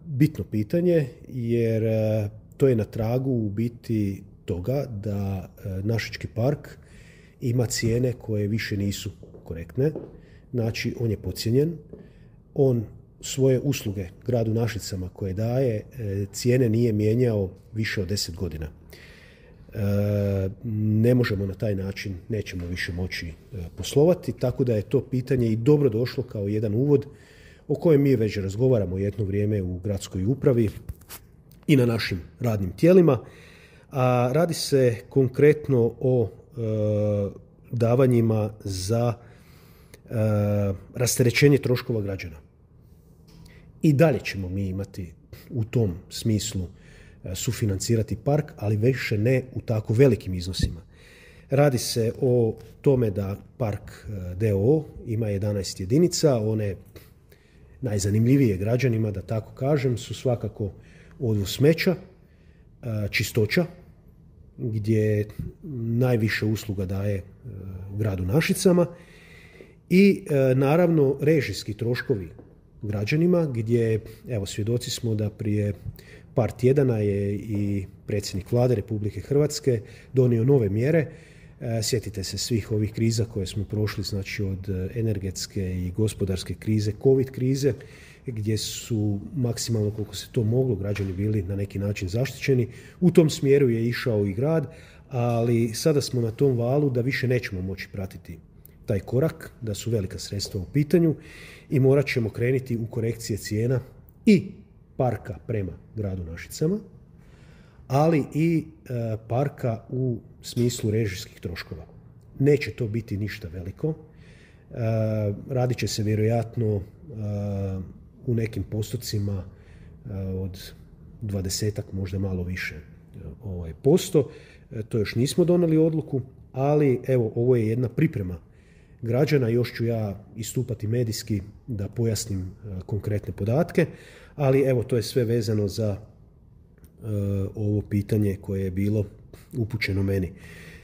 Bitno pitanje jer to je na tragu u biti toga da Našički park ima cijene koje više nisu korektne. Znači, on je podcijenjen. On svoje usluge gradu Našicama koje daje, cijene nije mijenjao više od 10 godina. Ne možemo na taj način, nećemo više moći poslovati, tako da je to pitanje i dobro došlo kao jedan uvod o kojem mi već razgovaramo jedno vrijeme u gradskoj upravi i na našim radnim tijelima. A radi se konkretno o davanjima za rasterećenje troškova građana. I dalje ćemo mi imati u tom smislu sufinancirati park, ali više ne u tako velikim iznosima. Radi se o tome da park d.o.o. ima 11 jedinica, one najzanimljivije građanima, da tako kažem, su svakako odvoz smeća, čistoća, gdje najviše usluga daje gradu Našicama i naravno režijski troškovi građanima, gdje evo svjedoci smo da prije par tjedana je i predsjednik Vlade Republike Hrvatske donio nove mjere. Sjetite se svih ovih kriza koje smo prošli, znači od energetske i gospodarske krize, covid krize, gdje su maksimalno koliko se to moglo građani bili na neki način zaštićeni. U tom smjeru je išao i grad, ali sada smo na tom valu da više nećemo moći pratiti taj korak, da su velika sredstva u pitanju i morat ćemo krenuti u korekcije cijena i parka prema gradu Našicama, ali i parka u smislu režijskih troškova. Neće to biti ništa veliko. Radit će se vjerojatno u nekim postocima od 20-ak, možda malo više posto. To još nismo donijeli odluku, ali evo, ovo je jedna priprema građana. Još ću ja istupati medijski da pojasnim konkretne podatke, ali evo, to je sve vezano za ovo pitanje koje je bilo upućeno meni.